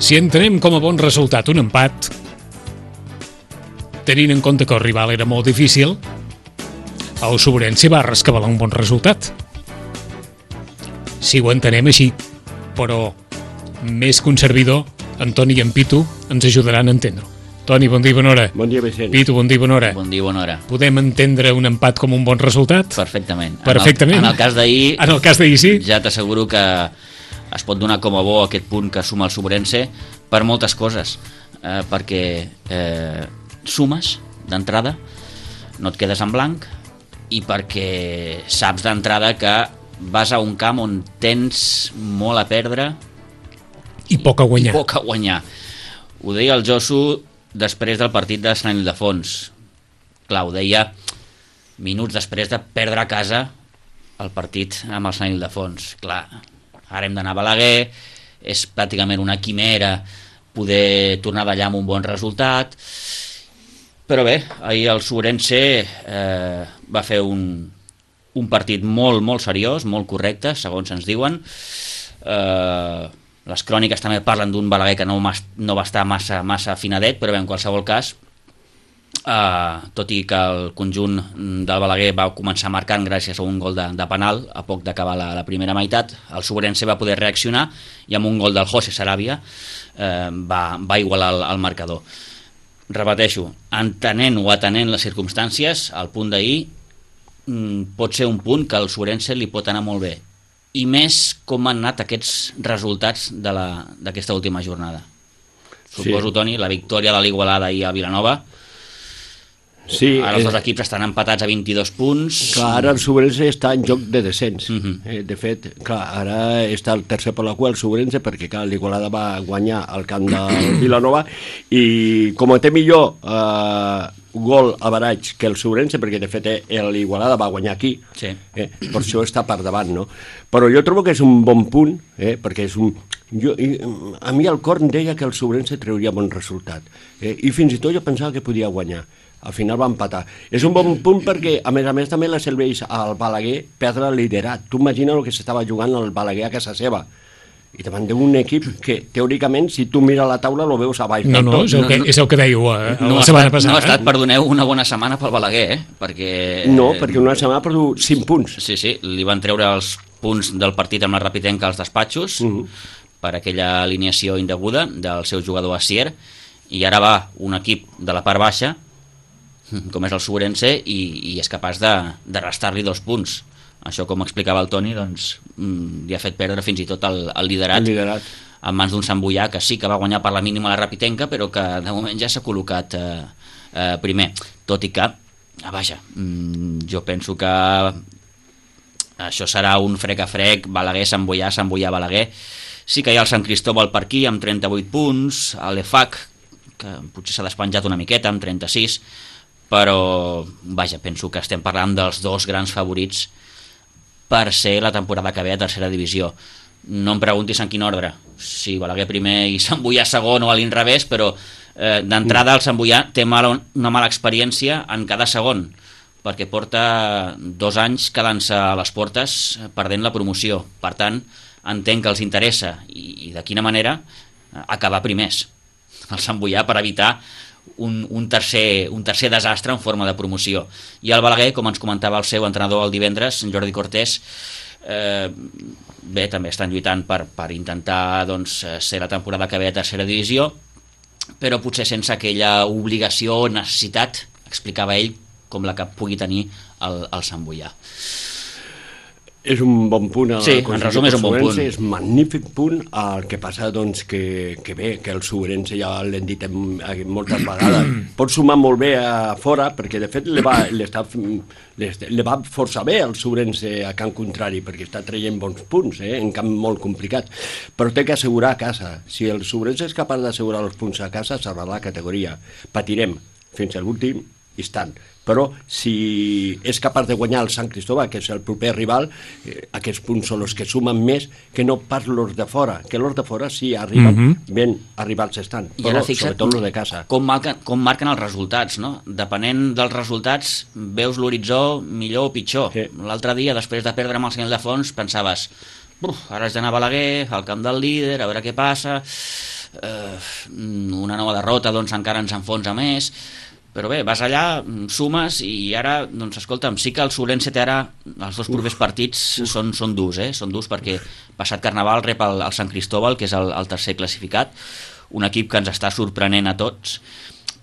Si entenem com a bon resultat un empat, tenint en compte que el rival era molt difícil, el Sobrense va rescabalar un bon resultat. Si ho entenem així, però més que un servidor, en Toni i en Pitu ens ajudaran a entendre-ho. Toni, bon dia i bona hora. Bon dia, Vicent. Pitu, bon dia i bona hora. Bon dia i bona hora. Podem entendre un empat com un bon resultat? Perfectament. Perfectament. En el cas d'ahir... En el cas d'ahir, sí. Ja t'asseguro que es pot donar com a bo aquest punt que suma el Sobrense per moltes coses. Perquè sumes d'entrada, no et quedes en blanc, i perquè saps d'entrada que vas a un camp on tens molt a perdre i poc a guanyar. I poc a guanyar. Ho deia el Josu després del partit de Sant Ildefons. Clar, ho deia minuts després de perdre a casa el partit amb el Sant Ildefons. Clar, ara hem d'anar a Balaguer, és pràcticament una quimera poder tornar d'allà amb un bon resultat, però bé, ahir el Sobrense va fer un partit molt, molt seriós, molt correcte, segons ens diuen. Les cròniques també parlen d'un Balaguer que no va estar massa afinadet, però bé, en qualsevol cas, tot i que el conjunt del Balaguer va començar marcant gràcies a un gol de penal a poc d'acabar la primera meitat, el Sobrense va poder reaccionar i amb un gol del José Sarabia va igualar el marcador. Repeteixo, entenent o atenent les circumstàncies, el punt d'ahir pot ser un punt que al Sobrense li pot anar molt bé, i més com han anat aquests resultats d'aquesta última jornada. Suposo, sí. Toni, la victòria de l'Igualada ahir a Vilanova. Sí, ara els dos equips estan empatats a 22 punts. Clar, ara el Sobrense està en joc de descens. De fet, clar, ara està el tercer per la cua el Sobrense, perquè clar, l'Igualada va guanyar al camp del Vilanova i com a té millor gol a baratge que el Sobrense, perquè de fet l'Igualada va guanyar aquí, sí. Per això està per davant, no? Però jo trobo que és un bon punt, perquè és un... a mi el cor em deia que el Sobrense trauria bon resultat, i fins i tot jo pensava que podia guanyar. Al final va empatar. És un bon punt perquè, a més també la serveix al Balaguer perdre el liderat. Tu imagina el que s'estava jugant el Balaguer a casa seva. I davant d'un equip que, teòricament, si tu mires la taula, lo veus a baix. No, és el que dèieu la setmana passada. No ha estat, perdoneu, una bona setmana pel Balaguer, perquè... No, perquè una setmana ha perdut 5 punts. Sí, li van treure els punts del partit amb la Rapitenca als despatxos per aquella alineació indeguda del seu jugador Asier, i ara va un equip de la part baixa, com és el Sobrense, i és capaç de restar-li 2 punts. Això, com explicava el Toni, doncs, li ha fet perdre fins i tot el liderat en mans d'un Sant Boià, que sí que va guanyar per la mínima la Rapitenca, però que de moment ja s'ha col·locat primer. Tot i que, vaja, jo penso que això serà un frec a frec, Balaguer, Sant Boià, Sant Boià, Balaguer. Sí que hi ha el Sant Cristóbal per aquí, amb 38 punts, l'EFAC, que potser s'ha despenjat una miqueta, amb 36, però, vaja, penso que estem parlant dels dos grans favorits per ser la temporada que ve a tercera divisió. No em preguntis en quin ordre, si Balaguer primer i Sant Boià segon o a l'inrevés, però d'entrada el Sant Boià té una mala experiència en cada segon, perquè porta 2 anys quedant-se a les portes perdent la promoció. Per tant, entenc que els interessa, i de quina manera, acabar primers el Sant Boià per evitar un tercer desastre en forma de promoció. I el Balaguer, com ens comentava el seu entrenador el divendres, Jordi Cortés, bé, també estan lluitant per intentar ser la temporada que ve a tercera divisió, però potser sense aquella obligació o necessitat, explicava ell, com la que pugui tenir el Sant Boià. És un bon punt. Sí, en resum és un bon punt. És un magnífic punt. El que passa, doncs, que bé, que el Sobrense, ja l'hem dit moltes vegades, pot sumar molt bé a fora, perquè de fet li va força bé el Sobrense a camp contrari, perquè està traient bons punts, en camp molt complicat. Però té que assegurar a casa. Si el Sobrense és capaç d'assegurar els punts a casa, serà la categoria. Patirem fins a l'últim instant. Però si és capaç de guanyar el Sant Cristóbal, que és el proper rival, aquests punts són els que sumen més que no pas els de fora, que els de fora sí arriben, ben arribats estan, però sobretot els de casa. Com marquen els resultats, no? Depenent dels resultats veus l'horitzó millor o pitjor. Sí. L'altre dia, després de perdre amb el Sant Ildefons, pensaves, ara has d'anar a Balaguer, al camp del líder, a veure què passa... una nova derrota doncs encara ens enfonsa més, però bé, vas allà, sumes i ara, doncs escolta'm, sí que el Sobrense té ara, els dos propers partits són durs, són durs perquè passat Carnaval rep el Sant Cristóbal, que és el tercer classificat, un equip que ens està sorprenent a tots,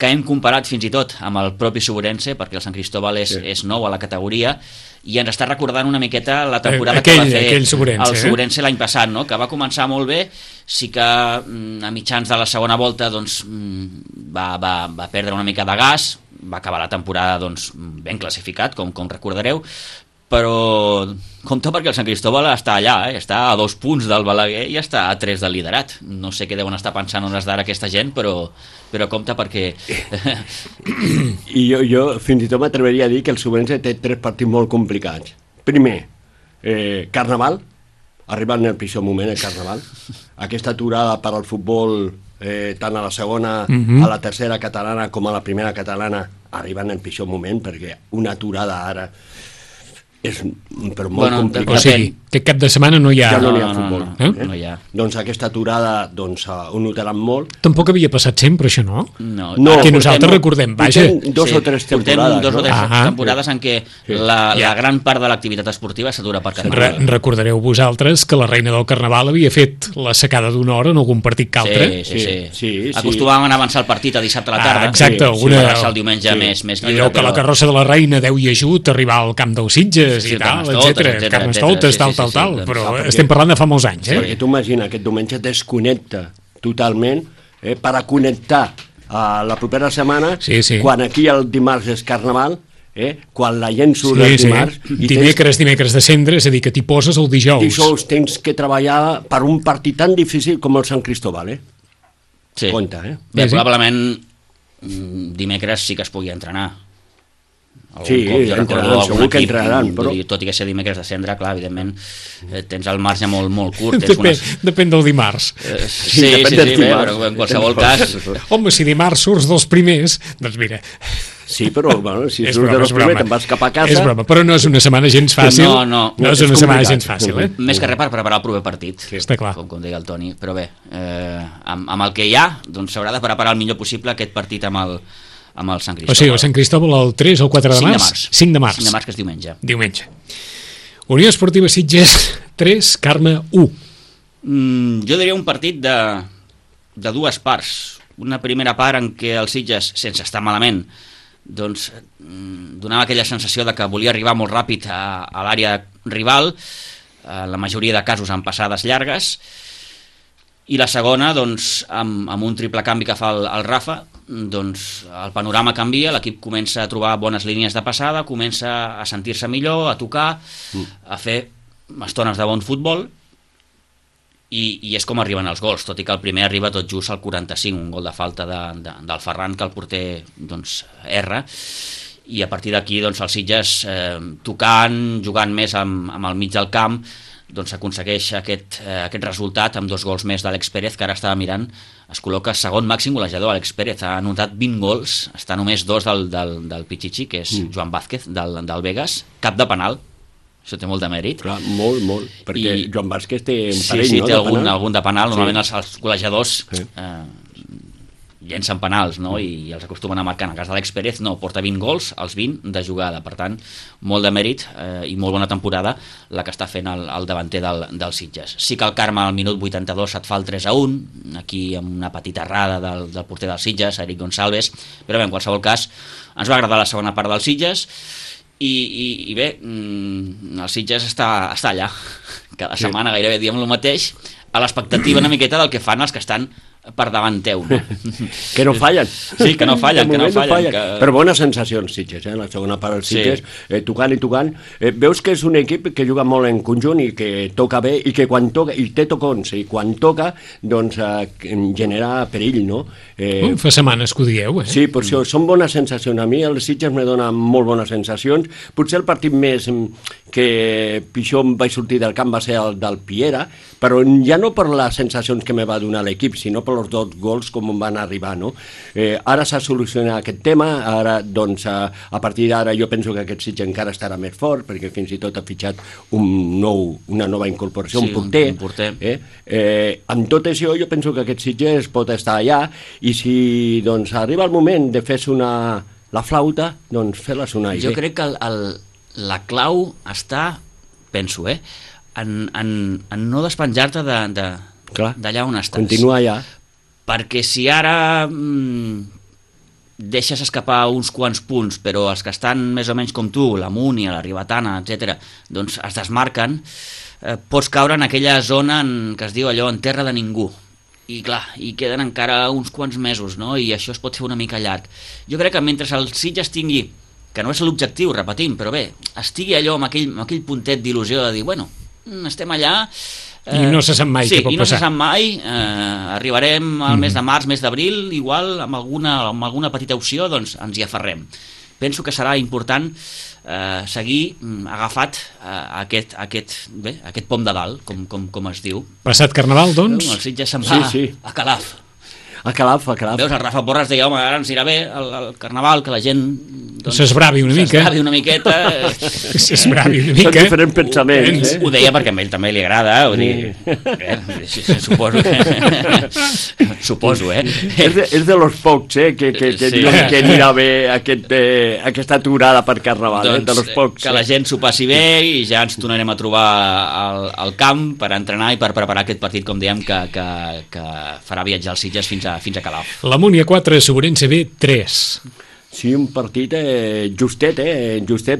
que hem comparat fins i tot amb el propi Sobrense, perquè el Sant Cristóbal és nou a la categoria, i ens està recordant una miqueta la temporada que va fer el Sobrense l'any passat, no? Que va començar molt bé, sí que a mitjans de la segona volta doncs, va perdre una mica de gas, va acabar la temporada doncs, ben classificat, com recordareu, però compte perquè el Sant Cristóbal està allà, està a 2 punts del Balaguer i està a 3 del liderat. No sé què deuen estar pensant hores d'ara aquesta gent, però compte perquè... I jo fins i tot m'atreveria a dir que el Sobrense té 3 partits molt complicats. Primer, Carnaval, arriba en el pitjor moment el Carnaval. Aquesta aturada per al futbol, tant a la segona, a la tercera catalana com a la primera catalana, arriba en el pitjor moment, perquè una aturada ara... és però molt complicat. O sigui, aquest cap de setmana no hi ha... Ja no hi ha futbol. No hi ha. Doncs aquesta aturada ho notaran molt. Tampoc havia passat sempre, això, no? No. Que nosaltres recordem, vaja. Portem 2 o 3 temporades. Portem 2 o 3 temporades en què la gran part de l'activitat esportiva s'atura per Carnaval. Recordareu vosaltres que la reina del Carnaval havia fet la secada d'una hora en algun partit que altre. Sí. Acostumàvem a avançar el partit a dissabte a la tarda. Exacte. El diumenge més lliure. Allò que la carrossa de la reina deu i ajut arribar al camp dels Sitges i tal, etcètera, Carnestoltes, tal, però estem parlant de fa molts anys, Perquè tu imagina, aquest diumenge desconnecta totalment per a connectar a la propera setmana, quan aquí el dimarts és Carnaval, quan la gent surt el dimarts... Dimecres de cendre, és a dir, que t'hi poses el dijous. Dijous tens que treballar per un partit tan difícil com el Sant Cristóbal, Sí. Compte, Bé, probablement dimecres sí que es pugui entrenar. Entraran, segur que entraran, però... Tot i que ser dimecres de cendre, clar, evidentment tens el marge molt curt. Depèn del dimarts. Sí, però en qualsevol cas... Home, si dimarts surts dels primers, doncs mira... Sí, però si surts dels primers te'n vas cap a casa... És broma, però no és una setmana gens fàcil. No és una setmana gens fàcil, Més que res per preparar el proper partit. Està clar. Com deia el Toni, però bé, amb el que hi ha, doncs s'haurà de preparar el millor possible aquest partit amb el Sant Cristóbal. O sigui, el Sant Cristóbal el 3 o el 4 de març? 5 de març. 5 de març, que és diumenge. Unió Esportiva Sitges 3, Carme 1. Jo diria un partit de 2 parts. Una primera part en què el Sitges, sense estar malament, doncs donava aquella sensació de que volia arribar molt ràpid a l'àrea rival, la majoria de casos amb passades llargues, i la segona, doncs, amb un triple canvi que fa el Rafa, doncs el panorama canvia, l'equip comença a trobar bones línies de passada, comença a sentir-se millor, a tocar, a fer estones de bon futbol, i és com arriben els gols, tot i que el primer arriba tot just al 45, un gol de falta del Ferran que el porter doncs, erra, i a partir d'aquí doncs, el Sitges tocant, jugant més amb el mig del camp, doncs aconsegueix aquest resultat amb 2 gols més d'Àlex Pérez, que ara estava mirant, es col·loca segon màxim golejador. Àlex Pérez ha anotat 20 gols, està només 2 del Pichichi, que és Joan Vázquez del Vegas, cap de penal, això té molt de mèrit. Clar, molt, perquè Joan Vázquez té un parell, no? Sí, té algun de penal, normalment els golejadors llencen penals, no? I els acostumen a marcar. En el cas d'Àlex Pérez no, porta 20 gols, els 20 de jugada, per tant molt de mèrit i molt bona temporada la que està fent el davanter del Sitges. Sí que el Carme al minut 82 et fa el 3-1, aquí amb una petita errada del porter del Sitges, Eric Gonçalves, però bé, en qualsevol cas ens va agradar la segona part del Sitges i bé, el Sitges està allà cada setmana gairebé diem el mateix, a l'expectativa una miqueta del que fan els que estan per davant teu, no? Que no fallen. Sí, que no fallen. Però bones sensacions, Sitges, la segona part del Sitges, tocant i tocant. Veus que és un equip que juga molt en conjunt i que toca bé, i que quan toca, i té tocons, i quan toca, doncs genera perill, no? Fa setmanes que ho dieu, Sí, per això són bones sensacions. A mi el Sitges me dona molt bones sensacions. Potser el partit més que pitjor em vaig sortir del camp va ser el del Piera, però ja no per les sensacions que me va donar l'equip, sinó per per els 2 gols com van arribar, no? Ara s'ha solucionat aquest tema, ara, doncs, a partir d'ara jo penso que aquest Sitges encara estarà més fort, perquè fins i tot ha fitxat una nova incorporació, sí, un porter. Un porter. Amb tot això jo penso que aquest Sitges pot estar allà, i si doncs, arriba el moment de fer la flauta, doncs fer-la sonar. Jo crec que la clau està, penso, en no despenjar-te d'allà on estàs. Continuar allà. Perquè si ara deixes escapar uns quants punts, però els que estan més o menys com tu, la Múnia, la Ribetana, etc., doncs es desmarquen, pots caure en aquella zona que es diu allò en terra de ningú. I clar, hi queden encara uns quants mesos, no? I això es pot fer una mica llarg. Jo crec que mentre el Sitges tingui, que no és l'objectiu, repetim, però bé, estigui allò amb aquell puntet d'il·lusió de dir, bueno, estem allà... I no se sap mai què pot passar. Sí, i no se sap mai, arribarem al mes de març, mes d'abril, igual amb alguna petita opció, doncs ens hi aferrem. Penso que serà important seguir agafat aquest pom de dalt, com es diu. Passat Carnaval, doncs? El Sitges se'n va a Calaf. A Calaf. Veus, el Rafa Porras deia, home, ara ens irà bé el Carnaval, que la gent... S'esbravi una mica. S'esbravi una miqueta. S'esbravi una mica. Són diferents pensaments. Ho deia perquè a ell també li agrada, vull dir... Suposo, És de los pocs, que diuen que anirà bé aquesta aturada per Carnaval, de los pocs. Que la gent s'ho passi bé i ja ens tornarem a trobar al camp per entrenar i per preparar aquest partit, com dèiem, que farà viatjar els Sitges fins a Calaf. La Múnia 4, Sobrense B 3. Sí, un partit justet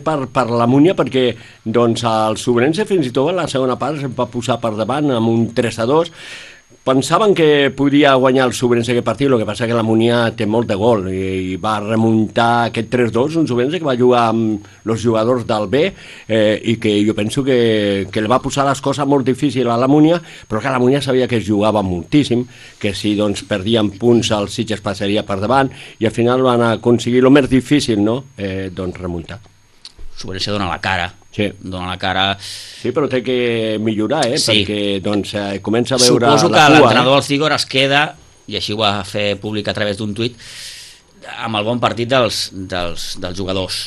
per la Múnia, perquè doncs, el Sobrense fins i tot a la segona part se'n va posar per davant amb un 3-2. Pensaven que podia guanyar el Sobrense aquest partit, el que passa que la Múnia té molt de gol i va remuntar aquest 3-2, un Sobrense que va jugar amb els jugadors del B i que jo penso que li va posar les coses molt difícils a la Múnia, però que la Múnia sabia que es jugava moltíssim, que si doncs, perdien punts el Sitges passaria per davant i al final van aconseguir el més difícil, no? Doncs remuntar. Sobrense dona la cara. Sí. Dona la cara. Sí, però té que millorar, sí. Perquè doncs, comença a veure Suposo la cua. que l'entrenador del Cigor es queda, i així ho va fer públic a través d'un tuit, amb el bon partit dels jugadors.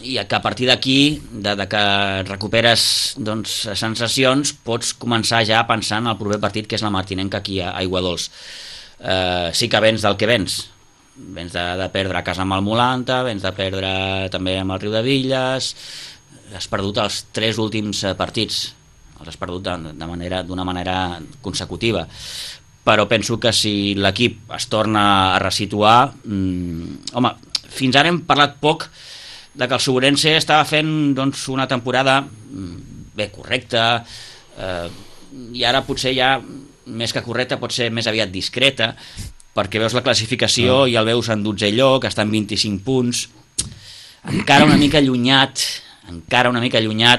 I que a partir d'aquí, de que recuperes doncs, sensacions, pots començar ja a pensar en el proper partit, que és la Martinenca aquí a Aiguadols. Sí que vens del que vens. Vens de perdre a casa amb el Molanta, vens de perdre també amb el Riu de Villes, has perdut els 3 últims partits, els has perdut d'una manera consecutiva, però penso que si l'equip es torna a resituar, home, fins ara hem parlat poc de que el Sobrense estava fent doncs, una temporada bé correcta, i ara potser ja més que correcta pot ser més aviat discreta, perquè veus la classificació i el veus en 12è lloc, està en 25 punts, encara una mica allunyat,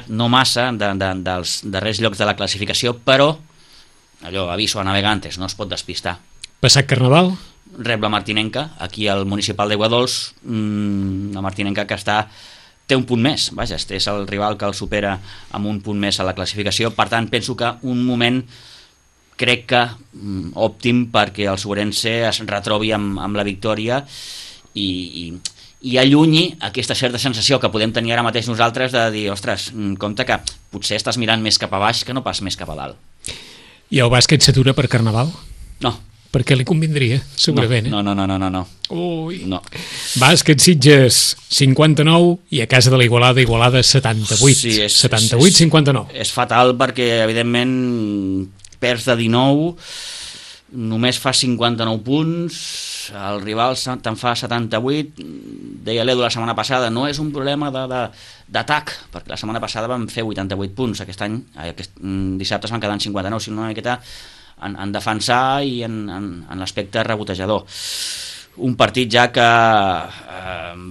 no massa, dels darrers llocs de la classificació, però, allò, aviso a navegantes, no es pot despistar. Passat Carnaval? Rep la Martinenca, aquí al municipal d'Aiguadols, la Martinenca que té un punt més, vaja, és el rival que el supera amb un punt més a la classificació, per tant, penso que un moment crec que òptim perquè el Sobrense es retrobi amb la victòria i allunyi aquesta certa sensació que podem tenir ara mateix nosaltres de dir, ostres, compte que potser estàs mirant més cap a baix que no pas més cap a dalt. I el bàsquet s'atura per Carnaval? No. Perquè li convindria, segurament. No. Ui. No. Bàsquet Sitges 59 i a casa de la Igualada 78. Sí, 78-59. És fatal perquè, evidentment, perds de 19, només fa 59 punts, el rival te'n fa 78, deia l'Edu la setmana passada, no és un problema d'atac, perquè la setmana passada vam fer 88 punts, aquest dissabte es van quedar en 59, si no una miqueta en defensar i en l'aspecte rebotejador. Un partit ja que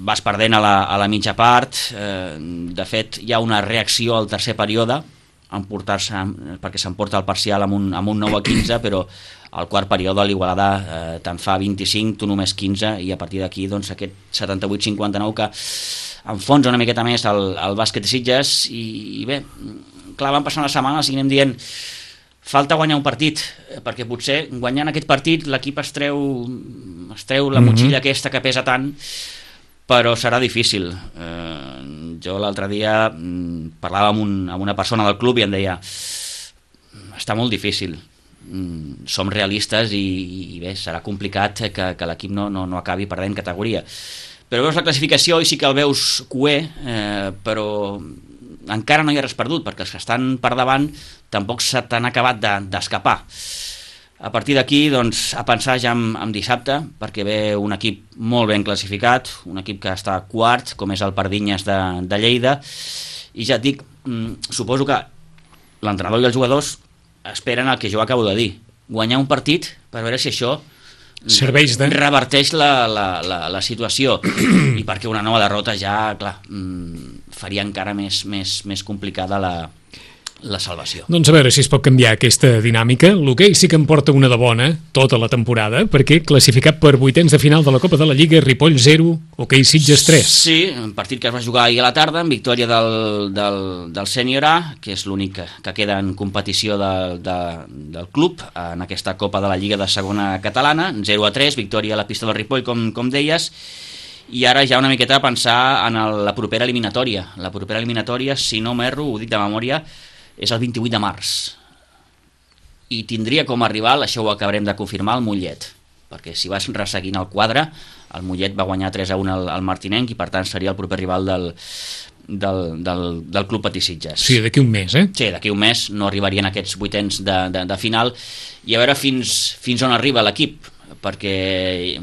vas perdent a la mitja part, de fet hi ha una reacció al tercer període, perquè s'emporta el parcial amb un 9-15, però al quart període l'Igualada te'n fa 25, tu només 15, i a partir d'aquí doncs, aquest 78-59 que enfonsa una miqueta més el bàsquet de Sitges, i bé, clar, van passant les setmanes i anem dient falta guanyar un partit, perquè potser guanyant aquest partit l'equip es treu la motxilla aquesta que pesa tant, però serà difícil. Jo l'altre dia parlava amb una persona del club i em deia està molt difícil, som realistes i bé, serà complicat que l'equip no acabi perdent categoria, però veus la classificació i sí que el veus cuer, però encara no hi ha res perdut, perquè els que estan per davant tampoc se t'han acabat d'escapar. A partir d'aquí, doncs, a pensar ja en dissabte, perquè ve un equip molt ben classificat, un equip que està quart, com és el Pardinyes de Lleida, i ja et dic, suposo que l'entrenador i els jugadors esperen el que jo acabo de dir, guanyar un partit per veure si això reverteix la situació, i perquè una nova derrota ja, clar, faria encara més complicada la salvació. Doncs a veure si es pot canviar aquesta dinàmica. L'hoquei sí que em porta una de bona tota la temporada, perquè classificat per vuitens de final de la Copa de la Lliga, Ripoll 0, hoquei Sitges 3. Sí, un partit que es va jugar ahir a la tarda, en victòria del sènior A, que és l'únic que queda en competició del club en aquesta Copa de la Lliga de segona catalana, 0-3, victòria a la pista del Ripoll, com deies, i ara ja una miqueta a pensar en la propera eliminatòria. La propera eliminatòria, si no m'erro, ho dic de memòria, és el 28 de març, i tindria com a rival, això ho acabarem de confirmar, el Mollet, perquè si vas resseguint el quadre, el Mollet va guanyar 3-1 al Martinenc i per tant seria el proper rival del Club Patí Sitges. Sí, d'aquí un mes, eh? Sí, d'aquí un mes no arribarien aquests vuitens de final, i a veure fins on arriba l'equip, perquè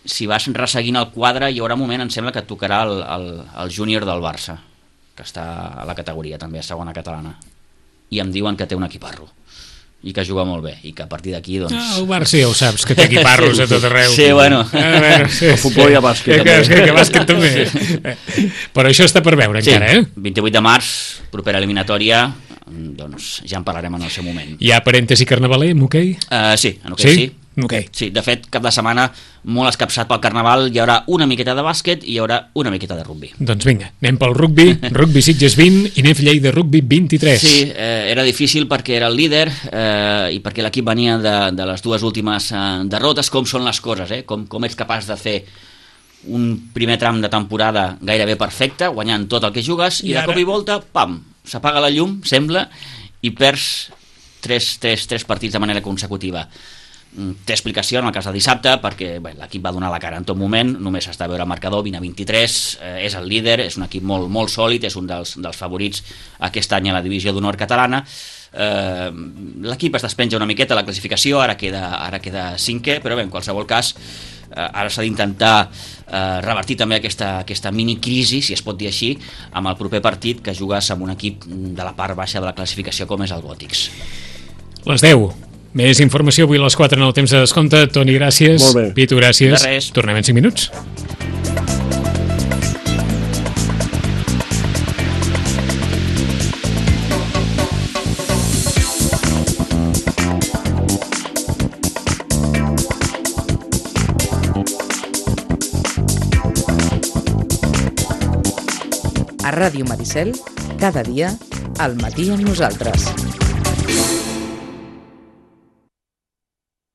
si vas resseguint el quadre hi haurà un moment, em sembla, que et tocarà el júnior del Barça, que està a la categoria també, a segona catalana, i em diuen que té un equiparro i que juga molt bé, i que a partir d'aquí doncs... El Barça ja ho saps, que té equiparros a tot arreu. Sí, bueno. El futbol i el bàsquet també. Que bàsquet també. Però això està per veure encara, eh? 28 de març, propera eliminatòria, doncs ja en parlarem en el seu moment. Hi ha parèntesi carnavaler en hoquei? Sí, en hoquei sí. Okay. Sí, de fet, cap de setmana molt escapçat pel Carnaval, hi haurà una miqueta de bàsquet i hi haurà una miqueta de rugbi. Doncs vinga, anem pel rugbi, rugbi Sitges 20 i Nef Lleida rugbi 23. Sí, era difícil perquè era el líder i perquè l'equip venia de les dues últimes derrotes. Com són les coses, com ets capaç de fer un primer tram de temporada gairebé perfecte, guanyant tot el que jugues, i de cop i volta, pam, s'apaga la llum, sembla, i perds tres partits de manera consecutiva. Té explicació en el cas de dissabte, perquè l'equip va donar la cara en tot moment, només està a veure el marcador, 20-23, és el líder, és un equip molt, molt sòlid, és un dels favorits aquest any a la divisió d'honor catalana. L'equip es despenja una miqueta a la classificació, ara queda cinquè, però bé, en qualsevol cas ara s'ha d'intentar revertir també aquesta mini-crisi, si es pot dir així, amb el proper partit que jugues amb un equip de la part baixa de la classificació com és el Gòtics. Les 10. Més informació avui a les 4 en el temps de descompte. Toni, gràcies. Molt bé. Pitu, gràcies. De res. Tornem en 5 minuts. A Ràdio Maricel, cada dia, al matí amb nosaltres.